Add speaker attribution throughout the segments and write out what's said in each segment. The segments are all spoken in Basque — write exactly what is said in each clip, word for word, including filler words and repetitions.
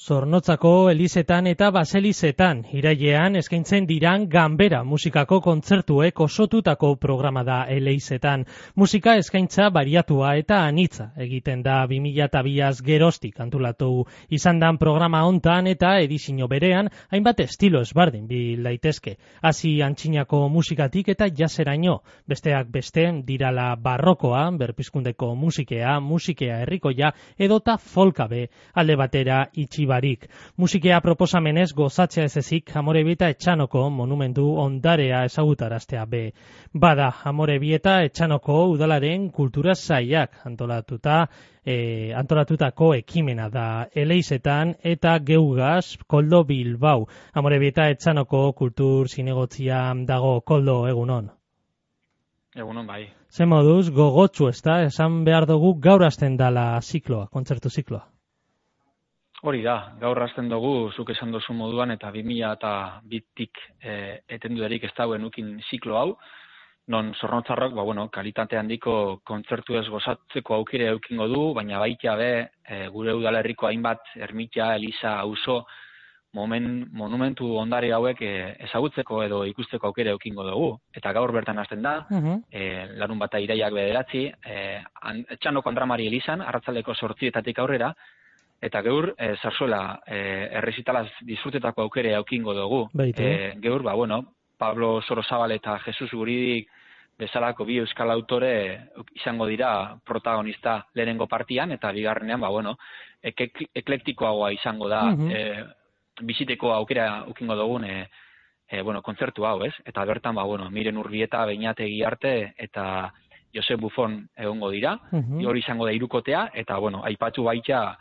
Speaker 1: Zornotzako elizetan eta baselizetan irailean eskaintzen diran ganbera musikako kontzertuek osotutako programa da eleizetan. Musika eskaintza bariatua eta anitza egiten da bi mila biaz geroztik antolatu izan dan programa hontan eta edizio berean hainbat estilo ezberdin bil daitezke. Hasi antzinako musikatik eta jaseraino, besteak beste dirala barrokoa, berpizkundeko musikea, musikea herrikoia edota folkabe alde batera itxi barik. Musikea proposamenez gozatzea ez ezik Amorebi eta Etxanoko monumentu ondarea ezagutaraztea be. Bada, Amorebi eta Etxanoko udalaren kultura sailak antolatuta, e, antolatutako ekimena da eleizetan eta geugaz Koldo Bilbao. Amorebi eta Etxanoko kultur zinegotzia dago. Koldo, egunon.
Speaker 2: Egunon bai.
Speaker 1: Ze moduz, gogotsu ez da, esan behar dugu gaur hasten dala zikloa, kontzertu zikloa.
Speaker 2: Hori da, gaur hasten dugu, zuk esan dozu moduan, eta bi mila eta bitik e, etendudarik ez dauen ukin ziklo hau, non Zornotzarrok, ba, bueno, kalitate handiko kontzertu ez gozatzeko aukire eukingo du, baina baita be, e, gure udalerriko hainbat, ermitia, eliza, auzo, momen, monumentu ondare hauek e, ezagutzeko edo ikusteko aukire eukingo dugu. Eta gaur bertan hasten da, uh-huh. e, larun bata iraiak bederatzi, e, Etxanoko Andramari elizan, arratzaldeko zortzietatik aurrera, eta geur, e, zarzuela, e, errezitalaz disfrutetako aukere aukingo dugu. E, geur, ba, bueno, Pablo Sorozabal eta Jesus Guridik bezalako bi euskal autore izango dira protagonista lehenengo partian, eta bigarrenean, ba, bueno, ek eklektikoagoa izango da, uh-huh. e, biziteko aukera aukingo dugun, e, e, bueno, kontzertu hau, ez? Eta bertan, ba, bueno, Miren Urbieta, Beñategi arte, eta Josep Buffon egongo dira, uh-huh. hori izango da hirukotea, eta, bueno, aipatu baita,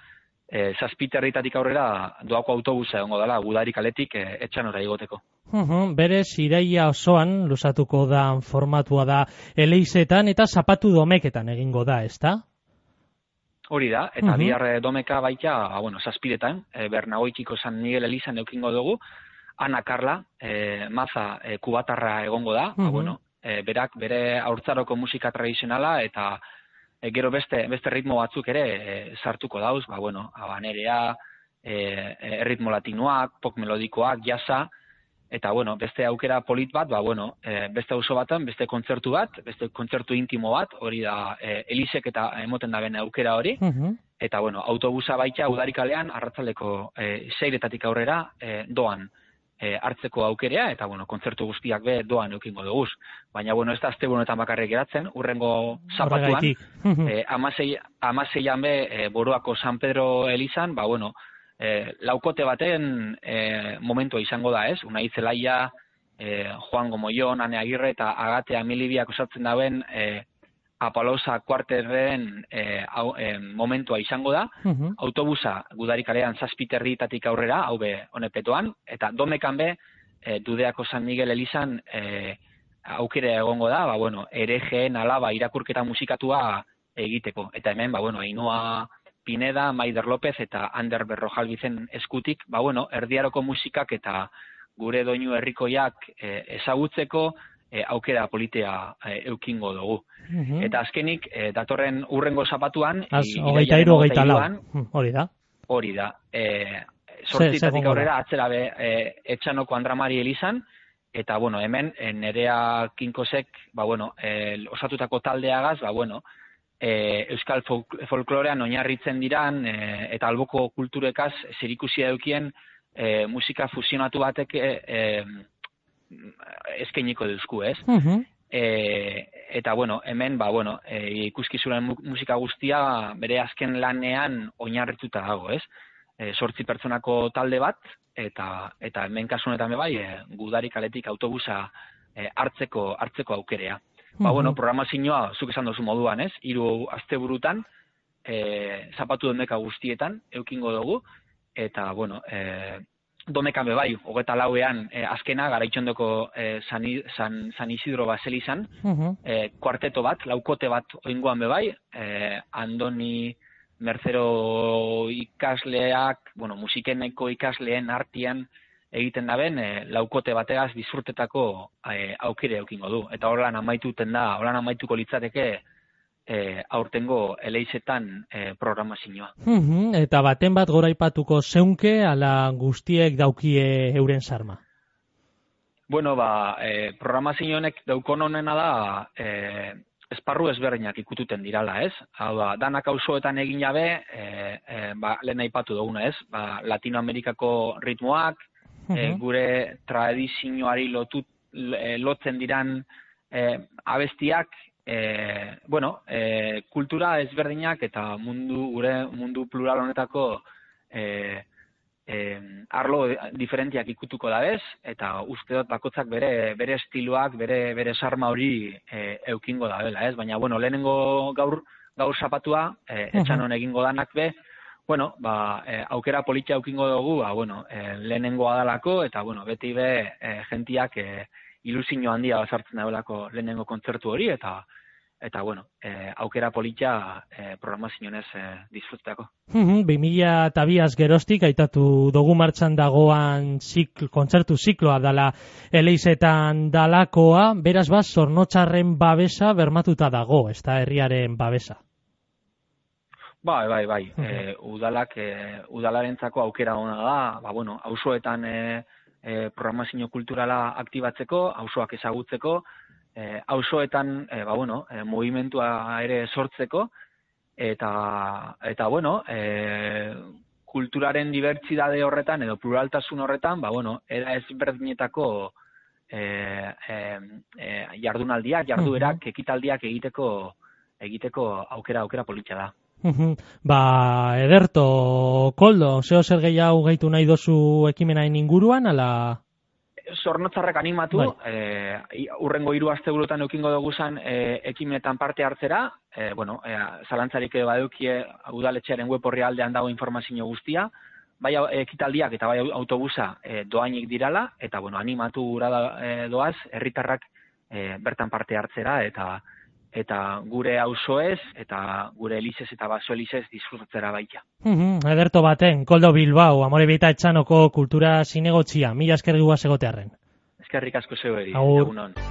Speaker 2: E, zazpiterritatik aurrera doako autobusa egongo dela, Gudarik aletik e, Etxanora igoteko.
Speaker 1: Uhum, berez, iraia osoan luzatuko da formatua da eleizetan eta zapatu domeketan egingo da, ezta?
Speaker 2: Hori da, eta uhum. bihar domeka baita, bueno, zazpiretan, e, Bernagoitiko San Miguel Elizan eukingo dugu, Ana Carla, e, maza e, kubatarra egongo da, uhum. ba, bueno, e, berak bere haurtzaroko musika tradizionala eta E, gero beste beste ritmo batzuk ere e, sartuko dauz, ba bueno, habanerea, eh e, ritmo latinoak, pop melodikoak, jazza eta bueno, beste aukera polit bat, ba bueno, e, beste auzo batean, beste kontzertu bat, beste kontzertu intimo bat, hori da e, Elizek eta emoten da ben aukera hori. Uh-huh. Eta bueno, autobusa baita Udarikalean arratzaldeko e, seiretatik aurrera e, doan E, hartzeko aukerea, eta, bueno, kontzertu guztiak be doan eukingo duguz. Baina, bueno, ez da asteburunetan bakarrik geratzen, urrengo zapatuan, e, amasei, amaseian be, e, Boroako San Pedro Elizan, ba, bueno, e, laukote baten e, momentua izango da, ez? Unai Zelaia, e, Juan Gomoion, Ane Agirre eta Agate Amilibiak osatzen dauen e, Apalosa kuarterren e, e, momentua izango da, uh-huh. autobusa Gudarikalean zazpiterritatik aurrera, hau be honepetoan, eta domekan be, e, Dudeako San Miguel Elizan e, aukere egongo da, ba, bueno, erejeen alaba irakurketa musikatua egiteko. Eta hemen, ba, bueno, Ainhoa Pineda, Maider López eta Ander Berrojalbizen eskutik, ba, bueno, erdiaroko musikak eta gure doinu herrikoiak e, ezagutzeko, E, aukera politea e, eukingo dugu. Uh-huh. Eta azkenik, e, datorren urrengo zapatuan,
Speaker 1: hogeita hiru, hogeita lau, hori da.
Speaker 2: Hori da. E, Zortzitatik aurrera, atzera be, e, Etxanoko Andramari Elizan, eta, bueno, hemen, e, Nerea Kinkosek, ba, bueno, e, osatutako taldeagaz, ba, bueno, e, euskal folk, folklorean oinarritzen diran, e, eta alboko kulturekaz, zerikusia eukien, e, musika fusionatu batek, e, e, eskainiko duzku, ez? Uh-huh. E, eta, bueno, hemen, ba, bueno, e, ikuskizuren musika guztia bere azken lanean oinarrituta dago, ez? E, sortzi pertsonako talde bat, eta eta hemen kasunetan bai, e, Gudarikaletik autobusa e, hartzeko hartzeko aukerea. Uh-huh. Ba, bueno, programazioa, zuk esan duzu moduan, ez? Hiru asteburutan, e, zapatu domeka guztietan, eukingo dugu, eta, bueno, e, domekan be bai, hogeta lauean e, azkena, Garaitxondoko e, San, San, San Isidro Baselizan, uh-huh. e, kuarteto bat, laukote bat oingoan be bai, e, Andoni Mercero ikasleak, bueno, musikeneko ikasleen artean egiten daben, e, laukote bategaz disfrutetako e, aukire eukingo du. Eta horrelan amaituten da, horrelan amaituko litzateke e, aurtengo eleizetan e, programazioa.
Speaker 1: Mhm, eta baten bat goraipatuko zeunke, ala guztiek daukie euren sarma?
Speaker 2: Bueno, ba, e, programazio honek daukon honena da, e, esparru ezberdinak ikututen dirala, ez? Hau da, danak auzoetan egin jabe, e, e, ba, lehen aipatu duguna, ez? Ba, Latinoamerikako ritmoak, e, gure tradizioari lotut, e, lotzen diran e, abestiak, e, bueno, e, kultura ezberdinak eta mundu gure mundu plural honetako e, E, arlo diferentiak ikutuko da bez, eta uste dut bakotzak bere bere estiloak, bere bere sarma hori e, eukingo da bela, ez? Baina, bueno, lehenengo gaur gaur zapatua, e, etxanon egingo danak be, bueno, ba, e, aukera politia eukingo dugu, ba, bueno, e, lehenengo adalako, eta, bueno, beti be, e, gentiak e, ilusio handia basartzen da belako lehenengo kontzertu hori, eta eta, bueno, e, aukera politia e, programazionez e, disfrutako.
Speaker 1: bi mila eta biaz geroztik, aitatu dugu martxan dagoan zikl, kontzertu zikloa dala eleizetan dalakoa, beraz bat, Zornotzarren babesa bermatuta dago, ez da herriaren babesa.
Speaker 2: Bai, bai, bai. Uh -huh. e, udalak, e, udalarentzako aukera ona da, ba, bueno, auzoetan e, e, programazio kulturala aktibatzeko, auzoak ezagutzeko, E, auzoetan, e, ba, bueno, e, movimentua ere sortzeko, eta, eta bueno, e, kulturaren dibertsidade horretan, edo pluraltasun horretan, ba, bueno, era ezberdinetako e, e, e, jardunaldiak, jarduerak, ekitaldiak egiteko egiteko aukera, aukera politia da.
Speaker 1: Ba, ederto, Koldo, zeo zer gehiago gehitu nahi dozu ekimenain inguruan, ala...
Speaker 2: Zornotzarrak animatu, bai. e, urrengo hiru asteburutan eukingo dugu zan e, ekimenetan parte hartzera, e, bueno, e, zalantzarik badukie udaletxearen web orrialdean dago informazio guztia, bai ekitaldiak eta bai autobusa e, doainik dirala, eta bueno, animatu gura e, doaz, herritarrak e, bertan parte hartzera, eta eta gure auzoez eta gure elizez eta baso elizez disfrutatzera baita.
Speaker 1: Mm-hmm, ederto baten, Koldo Bilbao, Amorebieta Etxanoko kultura zinegotzia, mila esker guaz egotearren.
Speaker 2: Eskerrik asko zeu eri,
Speaker 1: Agur.
Speaker 2: egunon.